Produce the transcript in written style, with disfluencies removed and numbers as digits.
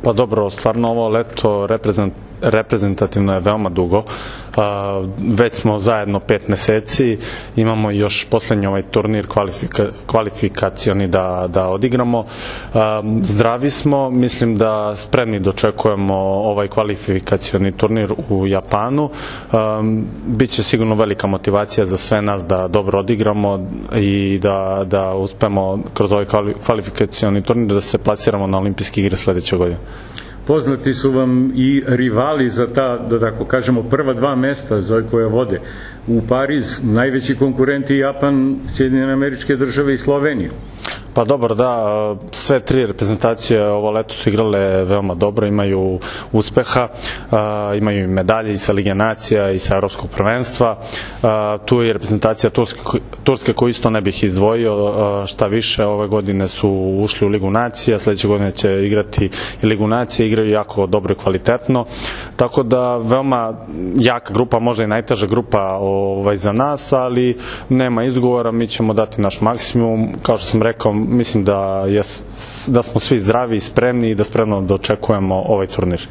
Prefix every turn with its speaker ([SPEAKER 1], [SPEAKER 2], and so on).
[SPEAKER 1] Pa dobro, stvarno ovo leto reprezentativno je veoma dugo. Već smo zajedno 5 meseci, imamo još poslednji ovaj turnir kvalifikacioni da odigramo. Zdravi smo, mislim da spremni dočekujemo ovaj kvalifikacioni turnir u Japanu. Biće sigurno velika motivacija za sve nas da dobro odigramo i da uspemo kroz ovaj kvalifikacioni turnir da se plasiramo na olimpijske igre sledeće godine.
[SPEAKER 2] Poznati su vam i rivali za ta, da tako kažemo, prva 2 mesta za koje vode. U Pariz najveći konkurenti Japan, Sjedinjene Američke Države i Slovenija.
[SPEAKER 1] Pa dobro, da, sve 3 reprezentacije ovo leto su igrale veoma dobro, imaju uspeha, imaju i medalje i sa Lige nacija i sa Evropskog prvenstva. Tu je reprezentacija Turske koju isto ne bih izdvojio, šta više, ove godine su ušli u Ligu nacija, sledeće godine će igrati i Ligu nacija, igraju jako dobro i kvalitetno, tako da veoma jaka grupa, možda i najteža grupa za nas, ali nema izgovora, mi ćemo dati naš maksimum, kao što sam rekao, mislim da smo svi zdravi i spremni i da spremno dočekujemo ovaj turnir.